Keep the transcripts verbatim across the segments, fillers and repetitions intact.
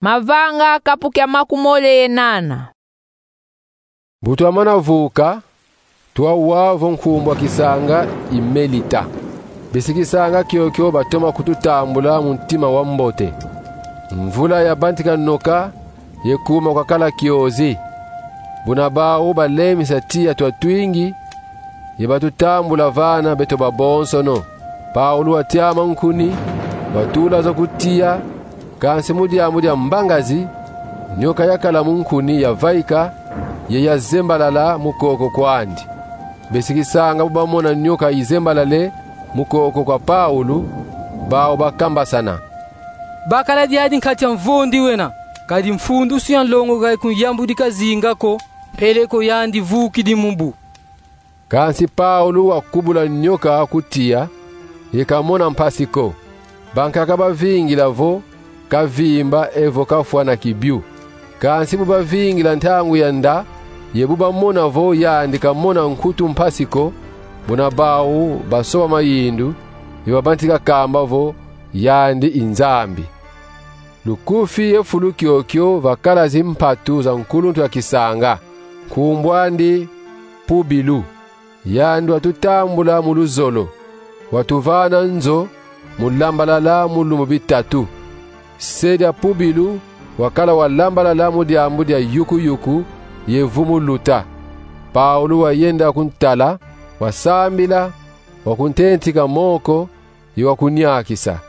Mavanga kapu kia makumole ye nana. Bu twamana vuka, twawa vo nkumbu a kisanga i Melita. Besi kisanga kiokio batoma kututambula mu ntima wa mbote. Mvula yabantika noka, ye kuma kwakala kiozi. Buna bau balemisa tiya twa twingi, ye batutambula vana beto babonsono. Paulu watiama nkuni, watula zo ku tiya, kansi mu diambu dia mbangazi, nyoka yakala mu nkuni yavaika, ye yazembalala mu koko kwandi. Besi kisanga bu bamona nyoka izembalale mu koko kwa Paulu, bau bakambasana: Bakala diadi nkati a mvondi wena, kadi mfundusu ya nlongo ka ikungiambudika zinga ko, mpeleko yandi vukidi mu bu. Kansi Paulu wakubula nyoka ku tiya, ye kamona mpasi ko. Bankaka bavingila vo kavimba evo kafwa na kibiu. Kansi bu bavingila ntangu ya nda, ye bu bamona vo yandi kamona nkutu mpasi ko, buna bau basoba mayindu, ye babantika kamba vo yandi i nzambi. Lukufi ye fulu kiokio vakala zimpatu za nkuluntu ya kisanga, nkumbu andi Pubilu. Yandi watutambula mu luzolo, watuvana nzo mu lambalala mu lumbu bitatu. Se dia Pubilu wakala walambalala mu diambu dia yuku-yuku ye vumu luta. Paulu wayenda kuntala, wasambila, wakuntentika moko, ye wakuniakisa.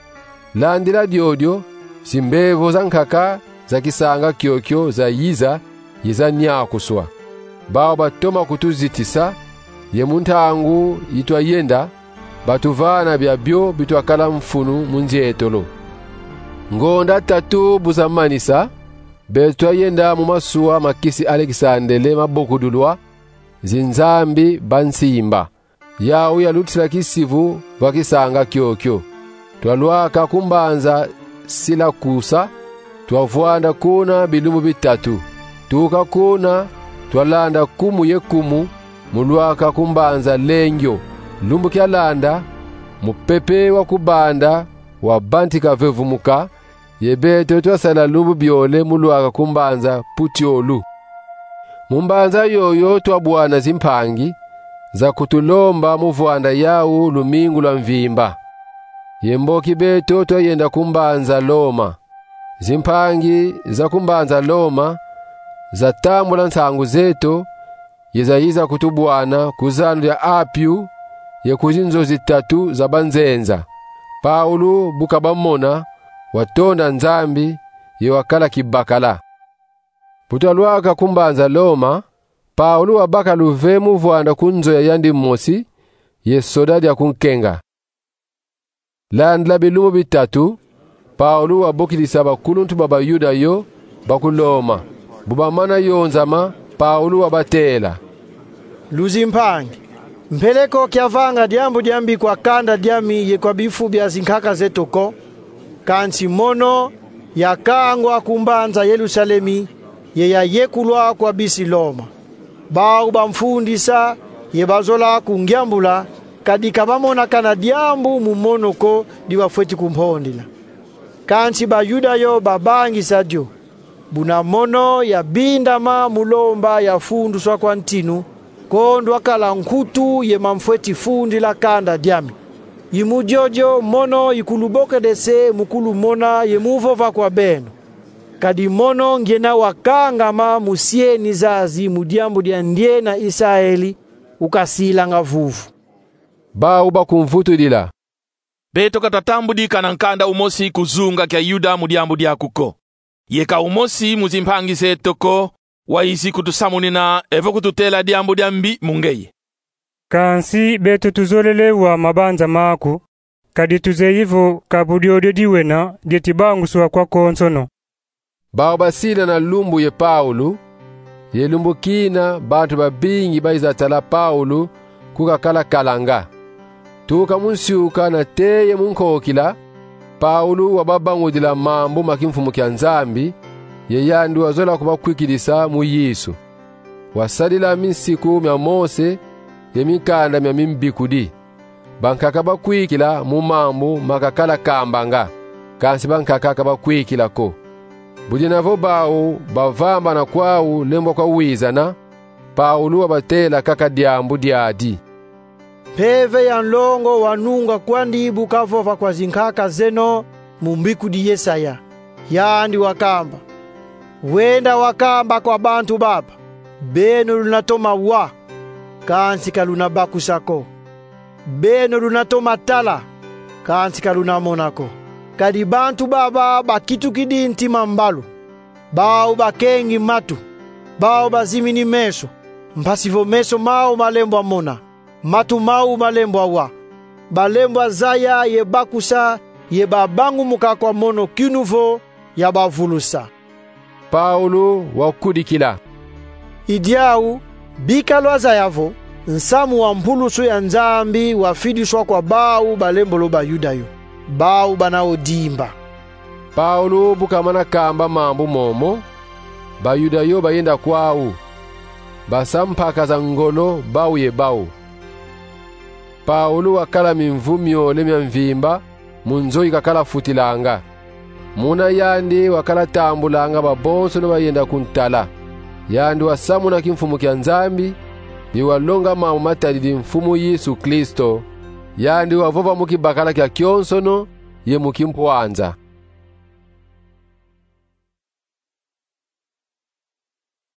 Landila diodio, zimbevo za nkaka za kisanga kiokio zayiza, ye zaniakuswa. Bau batoma kutuzitisa, ye mu ntangu yi twayenda, batuvana biabio bi twakala mfunu mu nzietolo. Ngonda tatu bu zamanisa, beto twayenda mu masuwa ma kisi Alekisandele mabokudulwa, zinzambi bansimba. Yau yalutila kisivu va kisanga kiokio. Twalwaka ku mbanza Silakusa, twavwanda kuna bilumbu bitatu. Tuka kuna, twalanda kumu ye kumu, mu lwaka ku mbanza Lengio. Lumbu kialanda, mupepe wa ku banda wabantika vevumuka, ye beto twasala lumbu biole mu lwaka ku mbanza Putiolu. Mu mbanza yoyo twabwana zimpangi za kutulomba mu vwanda yau lumingu lwa mvimba. Ye mboki beto twayenda ku mbanza Loma. Zimpangi za ku mbanza Loma zatambula nsangu zeto, ye zayiza kutubwana ku zandu dia Apiu, ye ku zinzo zitatu za banzenza. Paulu bu kabamona, watonda Nzambi, ye wakala kibakala. Bu twalwaka ku mbanza Loma, Paulu wabaka luve mu vwanda ku nzo ya yandi mosi, ye soda dia kunkenga. Landila bilumbu bitatu, Paulu wabokidisa bakuluntu ba Bayuda yo ba ku Loma. Bu bamana yonzama, Paulu wabatela: Luzimpangi, mpeleko kiavanga diambu diambi kwa kanda diami ye kwa bifu bia zinkaka zeto ko, kansi mono yakangwa ku mbanza Yelusalemi, ye yayekulwa kwa bisi Loma. Bau bamfundisa ye bazola kungiambula, kadi ka bamona kana diambu mu mono ko di bafweti kumpondila. Kansi Bayuda yo babangisa dio, buna mono yabindama mu lomba yafunduswa kwa ntinu, kondwa kala nkutu ye mamfweti fundila kanda diami. I mu diodio mono ikulubokede se mu kulumona ye mu vova kwa beno. Kadi mono ngiena wakangama mu sieni zazi mu diambu dia ndiena Isaeli, ukasilanga vuvu. Bau bakumvutudila: Beto ka twatambudi kana nkanda umosi ku zunga kia Yuda mu diambu diaku ko. Ye ka umosi mu zimpangi zeto ko wayizi kutusamunina evo kututela diambu diambi mu ngeye. Kansi beto tuzolele wa mabanza maku, kadi tuzeyi vo ka bu diodio diwena dieti banguswa kwa konsono. Bau basila na lumbu ye Paulu, ye lumbu kina bantu babingi bayiza tala Paulu ku kakala kalanga. Tuka mu nsiuka na teye mu nkokila, Paulu wababangudila mambu ma kimfumu kia Nzambi, ye yandi wazola kubakwikidisa mu Yesu. Wasadila minsiku mia Mose ye minkanda mia mimbikudi. Bankaka bakwikila mu mambu makakala kambanga, kansi bankaka ka bakwikila ko. Budina vo bau bavambana kwau lembwa kwa wizana, Paulo wabatela kaka diambu diadi: Mpeve ya nlongo wanunga kwandi bu kavova kwa zinkaka zeno mu mbikudi Yesaya. Yandi wakamba: Wenda wakamba kwa bantu baba: Beno luna toma wa, kansi ka luna bakusa ko. Beno luna toma tala, kansi ka luna mona ko. Kadi bantu baba bakitukidi ntima mbalu, bau bakengi matu, bau bazimini meso, mpasi vo meso mau malembwa mona, matu mau malembwa wa. Balembwa zaya ye bakusa ye babangumuka kwa mono kinu vo yabavulusa. Paulo wakudikila: I diau, bika lwazaya vo nsamu wa mpulusu ya Nzambi wafidiswa kwa bau balembolo Bayuda yo, bau bana wo dimba. Paulo bu kamana kamba mambu momo, Bayuda yo bayenda kwau, basa mpaka za ngolo bau ye bau. Paulo wakala mimvu miole mia mvimba mu nzo yi kakala futilanga. Muna yandi wakala tambulanga babonsono bayenda kuntala. Yandi wasamuna kimfumu kia Nzambi, ye walonga mambu matadidi Mfumu Yesu Kristo. Yandi wavova mu kibakala kia kionsono ye mu kimpwanza.